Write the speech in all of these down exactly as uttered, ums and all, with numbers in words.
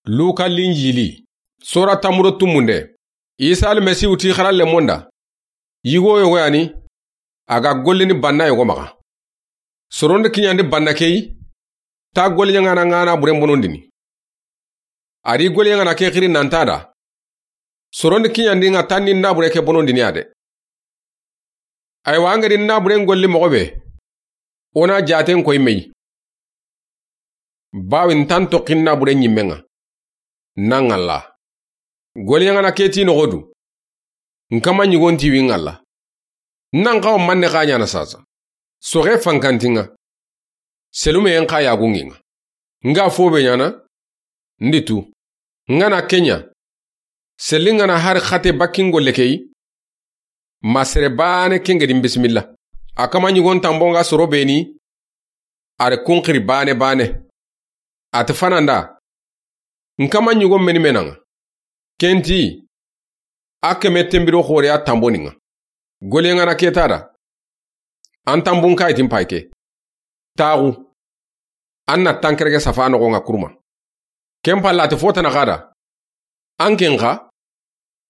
Luka Linjili, sora tanmu do tumunde. Isa Almasihu ti xaralenmun da, yigo yogo ya ni, a ga gollini banna yogo maxa. Soron di kiɲandi banna ke yi, ta golliɲaŋana ŋa na buren bonondini. A di golliɲaŋana ke xiri nan ti a da, soron di kiɲandi ŋa ta ni na bure ke bonondini ya de. Aywa, an ga di na buren golli moxo be, o na jaten koyi me yi. Bawo n ta n toxi na buren ɲimme ŋa. Na ŋalla. Golliɲaŋana ke ti noxo du, n kama ɲigon ti wi ŋalla. Nan xawa manne xa ɲaana sasa. Soxe fankanti ŋa. Selumeyen xa yagungi ŋa. N ga fo be ɲaana, n di tu. N ga na ke ɲa, selli n ga na hari xate bakki n golle ke yi, ma sere baane ken ga di n bisimilla. A kama ɲigon tanbo ŋa soro be ni, a ri kun xiri baane baane. A ti fananda, n kama ɲigon meni me na ŋa. Ken ti, a keme tenbiro xoore ya tanboni ŋa. Golliɲaŋana ke ti a da, an tanbun kayi ti n pay ke. Taxu. An na tankerege safa noxo ŋa kuruma. Ken palla a ti fo tana xa da, an ken xa,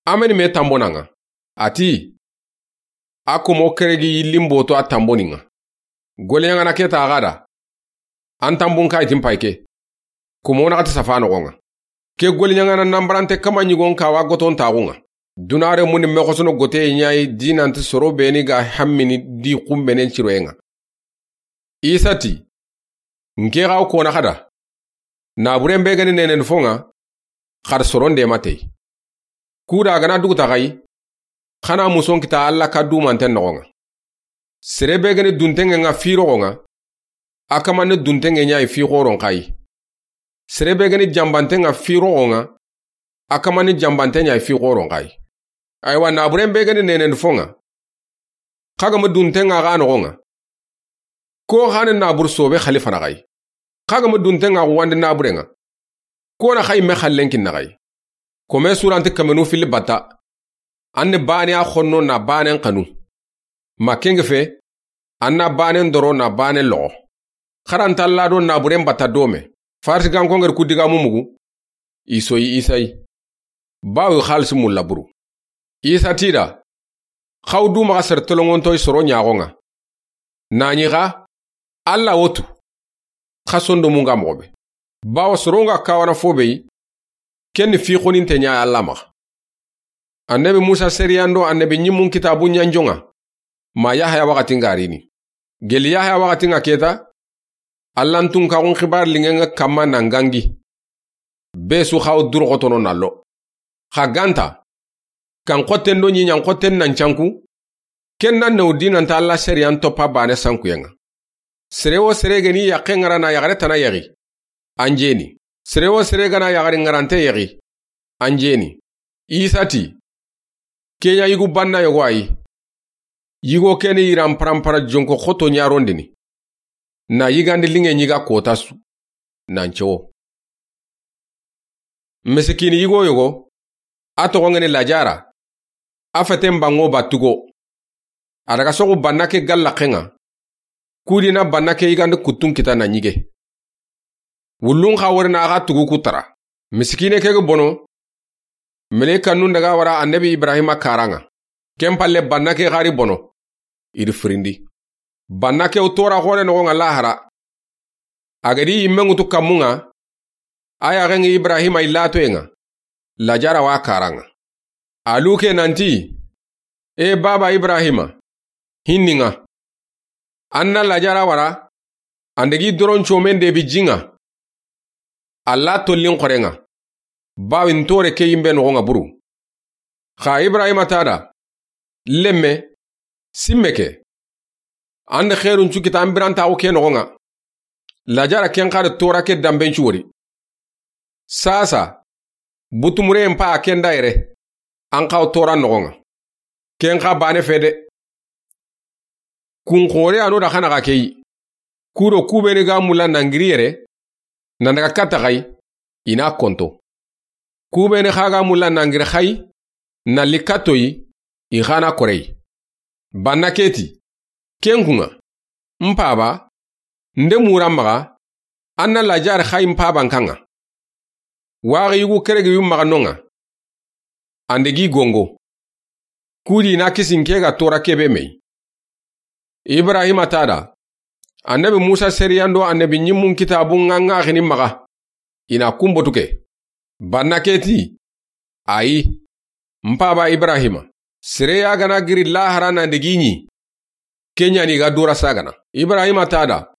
a meni me tanbona ŋa. A ti, a komo keregi yillin boto a tanboni ŋa. Golliɲaŋana ke ti a xa da, an tanbun kayi ti n pay ke. Komo naxati safa noxo ŋa. Ke golliɲaŋana nanbarante kama ɲigon kawa goton taxu ŋa. Dunare muni me xosono goteye ɲa yi di nanti soro be ni ga hammini di xunbenen ciroye ŋa. Isa ti, n ke xa wo kona xa da, na buren be ga ni nenen fo ŋa, xari soron de ma tey. Kuda a ga na duguta xa yi, xa na muson kita Alla ka dumanten noxo ŋa. Sere be ga ni duntenŋe ŋa fi roxo ŋa, a kama ni duntenŋe ɲa yi fi xoron xa yi. Sere be ga ni jambanten ŋa fi roxo ŋa, a kama ni jambanten ɲa yi fi xoron xa yi. Aywa, na buren be ga ni nenen fo ŋa, xa ga ma dunten ŋa xa noxo ŋa, ko xa ni na buru sobe xalifana xa yi. Xa ga ma dunten ŋa xuwandi na buren ŋa, ko na xa yi me xallen kinna xa yi. Kome suranti kamenu fili batta. An ni baane a xonno na baanen xanu. Ma ken ŋa fe, an na baanen doro na baanen loxo. Xaranta Alla do na buren batta dome. Farisigankon ga ri ku digamu mugu, i soyi Isa yi. Bawo i xalisi mulla buru. Isa ti i da, xa wo du maxa sere tolonŋontoyi soro ɲaxo ŋa. Na ɲi xa, Alla wo tu. Xa sondomun ga moxo be. Bawo soron ga kawana fo be yi, ken ni fi xoninte ɲa Alla maxa. Annabi Musa seriyan do annabi ɲimmun kitabun ɲanjon ŋa, ma Yahaya waxatin ga rini. Geli Yahaya waxatin ŋa ke ta, Alla n tunkaxun xibaari linŋen ŋa kamma nan gangi. Be su xa wo duro xotono na lo. Xa ga nta, kan xotten do ɲiɲan xotten nan canku, ken nan ne wo di nanta Alla seriyan toppa baane sankuyen ŋa. Sere wo sere ga ni yaqqe ŋara na yaxare tana yaxi, an jeni. Sere wo sere ga na yaxari ŋarante yaxi, an jeni. Isa ti, ke ɲa yigu banna yogo a yi. Yigo ke ni yiran parampara jonko xoto ɲarondini. Na yigandi linŋe ɲi ga kota su. Nan cowo. Misikini yigo yogo, a toxon ga ni Lajara, a feten banŋo battugo. A daga soxu banna ke galla xenŋa. Kudi na banna ke yigandi kuttun kita na ɲige. Wullun xa wori na xa tugu ku tara. Misikine ke ga bono, melekanun daga wara annabi Ibrahima karan ŋa. Ken palle banna ke xari bono, i ri firindi. Banna ke wo tora xore noxon ŋa lahara. A ga di yimme ŋutu kammun ŋa, a yaxen ŋa Ibrahima i latoyen ŋa. Lajara wa karan ŋa. A luke nanti, e baba Ibrahima, hinni ŋa. An na Lajara wara, an dagi doron comen de bi jin ŋa. Alla tollin xoren ŋa. Bawo i n tore ke yimbe noxon ŋa buru. Xa Ibrahima ti a da, lemme, simme ke. An da xerun cu kita an birantaxu ke noxon ŋa. Lajara ken xa da tora ke damben cu wori. Sasa, butumureyen pa a ken da yere, an xa wo tora noxon ŋa. Ken xa bane fe de. Kun xore a no da xana xa ke yi. Kudo kubeni ga mulla nangiri yere, nan daga katta xa yi, i na konto. Kubeni xa ga mulla nangiri xa yi, na li katto yi, i xa na kore yi. Banna ke ti, ken kun ŋa, n paba, n de mura maxa, an na Lajara xa yi n paban kan ŋa. Waxi yugu keregi yu maxa noŋa. An de gi gongo. Kudi na kisin ke ga tora kebe mey. Ibrahima ta da, Annabi Musa seriyan do Annabi ɲimmun kitabun ŋa ŋaxini maxa. I na kun botu ke. Banna ke ti, ayi, n paba Ibrahima, sere ya gana giri lahara nan de gi ɲi. Ke ɲa ni ga dura sagana. Ibrahima ta da,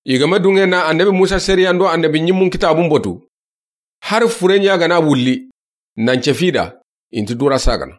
i ga ma dunŋe na Annabi Musa seriyan do Annabi ɲimmun kitabun botu. Har fure ɲa gana wulli, nan cefi da, i nti dura sagana.